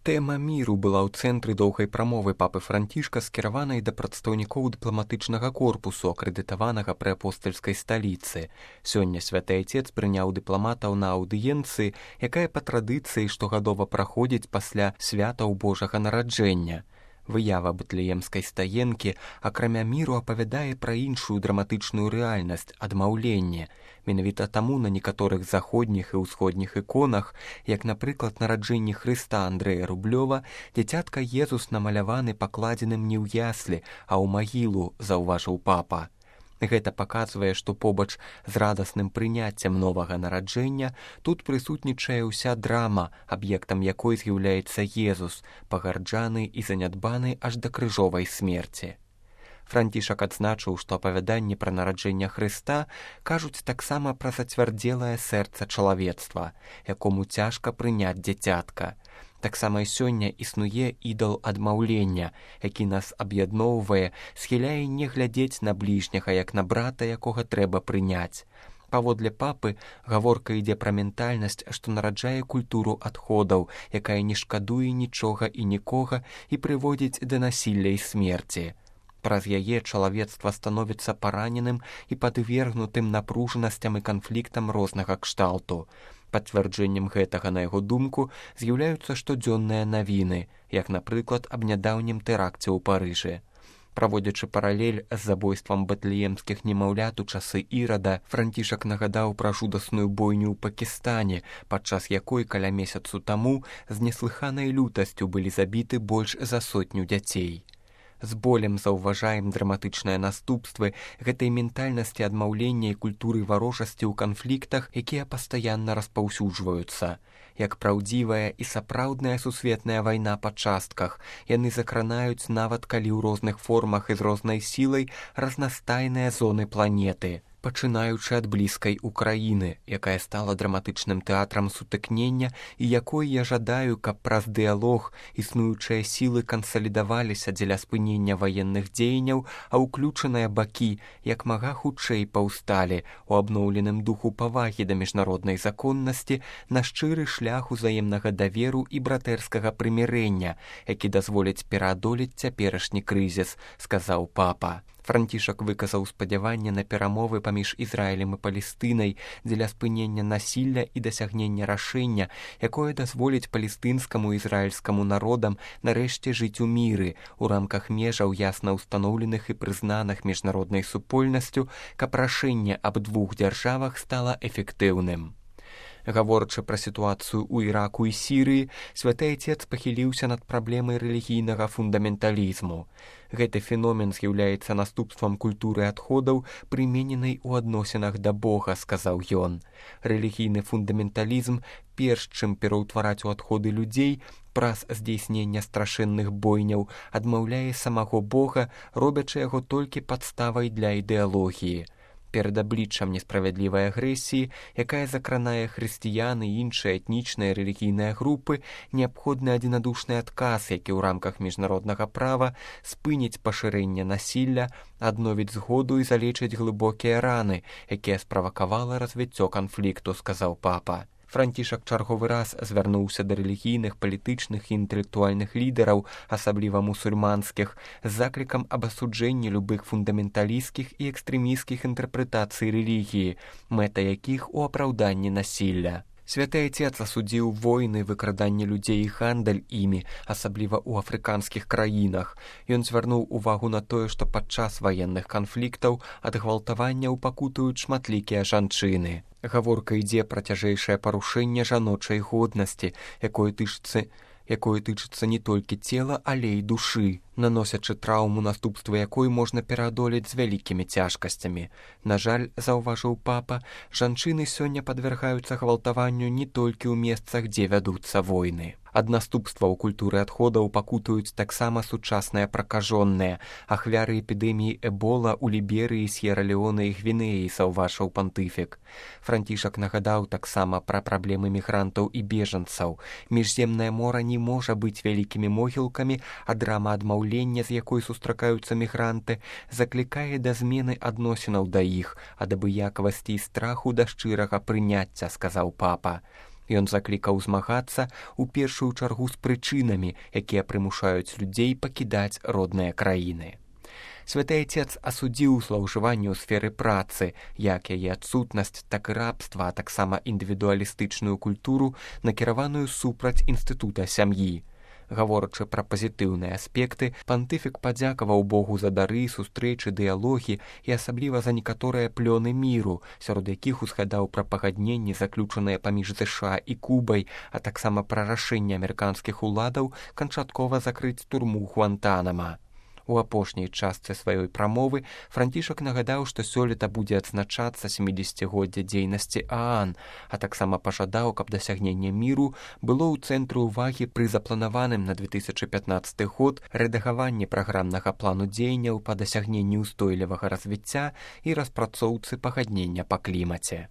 Тэма міру была ў цэнтры доўгай прамовы папы Францішка, скіраванай да прадстаўнікоў дыпламатычнага корпусу, акрэдытаванага пры апостальскай сталіцы. Сёння святы айцец прыняў дыпламатаў на аўдыенцыі, якая па традыцыі штогадова праходзіць пасля святаў Божага нараджэння. Выява бэтлеемскай стаенкі, акрамя міру, апавядае пра іншую драматычную рэальнасць – адмаўленне. Менавіта таму на некаторых заходніх і ўсходніх іконах, як, напрыклад, нараджэнне Хрыста Андрэя Рублёва, дзіцятка Езус намаляваны пакладзеным не ў яслі, а ў магілу, заўважыў папа. Гэта паказвае, што побач з радасным прыняццем новага нараджэння тут прысутнічае ўся драма, аб'ектам якой з'яўляецца Езус, пагарджаны і занядбаны аж да крыжовай смерці. Францішак адзначыў, што апавяданні пра нараджэнне Хрыста кажуць таксама пра зацвярдзелае сэрца чалавецтва, якому цяжка прыняць дзіцятка. Таксама і сёння існуе ідал адмаўлення, які нас аб'ядноўвае, схіляе не глядзець на бліжняга, як на брата, якога трэба прыняць. Паводле папы, гаворка ідзе пра ментальнасць, што нараджае культуру адходаў, якая не шкадуе нічога і нікога і прыводзіць да насілля і смерці. Праз яе чалавецтва становіцца параненым і падвергнутым напружанасцям і канфліктам рознага кшталту. Пацвярджэннем гэтага, на яго думку, з'яўляюцца штодзённыя навіны, як, напрыклад, аб нядаўнім тэракце ў Парыжы. Праводзячы паралель з забойствам бэтлеемскіх немаўлят у часы Ірада, Францішак нагадаў пра жудасную бойню ў Пакістане, падчас якой каля месяцу таму з неслыханай лютасцю былі забіты больш за 100 дзяцей. З болем заўважаем драматычныя наступствы гэтай ментальнасці адмаўлення і культуры варожасці ў канфліктах, якія пастаянна распаўсюджваюцца. Як праўдзівая і сапраўдная сусветная вайна па частках, яны закранаюць нават калі ў розных формах і з рознай сілай разнастайныя зоны планеты. Пачынаючы ад блізкай Украіны, якая стала драматычным тэатрам сутыкнення і якой я жадаю, каб праз дыялог існуючыя сілы кансалідаваліся дзеля спынення ваенных дзеянняў, а ўключаныя бакі як мага хутчэй паўсталі у абноўленым духу павагі да міжнароднай законнасці на шчыры шлях узаемнага даверу і братэрскага прымірэння, які дазволіць пераадолець цяперашні крызіс, сказаў папа. Францішак выказаў спадзяванне на перамовы паміж Ізраілем і Палестынай дзеля спынення насілля і дасягнення рашэння, якое дазволіць палестынскаму і ізраільскаму народам нарэшце жыць у міры ў рамках межаў ясна ўстаноўленых і прызнаных міжнароднай супольнасцю, каб рашэнне аб двух дзяржавах стала эфектыўным. Гаворачы пра сітуацыю ў Іраку і Сірыі, святы айцец пахіліўся над праблемай рэлігійнага фундаменталізму. Гэты феномен з'яўляецца наступствам культуры адходаў, прымененай у адносінах да Бога, сказаў ён. Рэлігійны фундаменталізм, перш чым пераўтвараць у адходы людзей, праз здзейснення страшэнных бойняў, адмаўляе самого Бога, робячы яго толькі падставай для ідэалогіі. Перад абліччам несправядлівай агрэсіі, якая закранае хрысціян і іншыя этнічныя рэлігійныя групы, неабходны адзінадушны адказ, які ў рамках міжнароднага права спыніць пашырэнне насілля, адновіць згоду і залечыць глыбокія раны, якія справакавала развіццё канфлікту, сказаў папа. Францішак чарговы раз звярнуўся да рэлігійных, палітычных і інтэлектуальных лідараў, асабліва мусульманскіх, з заклікам аб асуджэнні любых фундаменталісцкіх і экстрэмісцкіх інтэрпрэтацый рэлігіі, мэта якіх у апраўданні насілля. Святы айцец асудзіў войны, выкраданне людзей і гандаль імі, асабліва ў афрыканскіх краінах. Ён звярнуў увагу на тое, што падчас ваенных канфліктаў ад гвалтаванняў пакутуюць шматлікія жанчыны. Гаворка ідзе пра цяжэйшае парушэнне жаночай годнасці, якое тычыцца не толькі цела, але і душы, наносячы траўму, наступствы якой можна пераадолець з вялікімі цяжкасцямі. На жаль, заўважыў папа, жанчыны сёння падвяргаюцца гвалтаванню не толькі ў месцах, дзе вядуцца войны. Ад наступстваў культуры адходаў пакутуюць таксама сучасныя пракажонныя, ахвяры эпідэміі эбола ў Ліберыі, С'ера-Леоне і Гвінеі, заўважыў пантыфік. Францішак нагадаў таксама пра праблемы мігрантаў і бежанцаў. Міжземнае мора не можа быць вялікімі могілкамі, а драма адмаўлення, з якой сустракаюцца мігранты, заклікае да змены адносінаў да іх, ад абыякавасці і страху да шчырага прыняцця, сказаў папа. Ён заклікаў змагацца ў першую чаргу з прычынамі, якія прымушаюць людзей пакідаць родныя краіны. Святы Айцец асудзіў злоўжыванне ў сферы працы, як яе адсутнасць, так і рабства, а таксама індывідуалістычную культуру, накіраваную супраць інстытута сям'і. Гаворачы пра пазітыўныя аспекты, пантыфік падзякаваў Богу за дары, сустрэчы, дыялогі і асабліва за некаторыя плёны міру, сярод якіх узгадаў пра пагадненні, заключаныя паміж ЗША і Кубай, а таксама пра рашэнне амерыканскіх уладаў канчаткова закрыць турму Гуантанама. У апошняй частцы сваёй прамовы Францішак нагадаў, што сёлета будзе адзначацца 70-годдзе дзейнасці ААН, а таксама пажадаў, каб дасягненне міру было ў цэнтры ўвагі пры запланаваным на 2015 год рэдагаванні праграмнага плану дзеянняў па дасягненні ўстойлівага развіцця і распрацоўцы пагаднення па клімаце.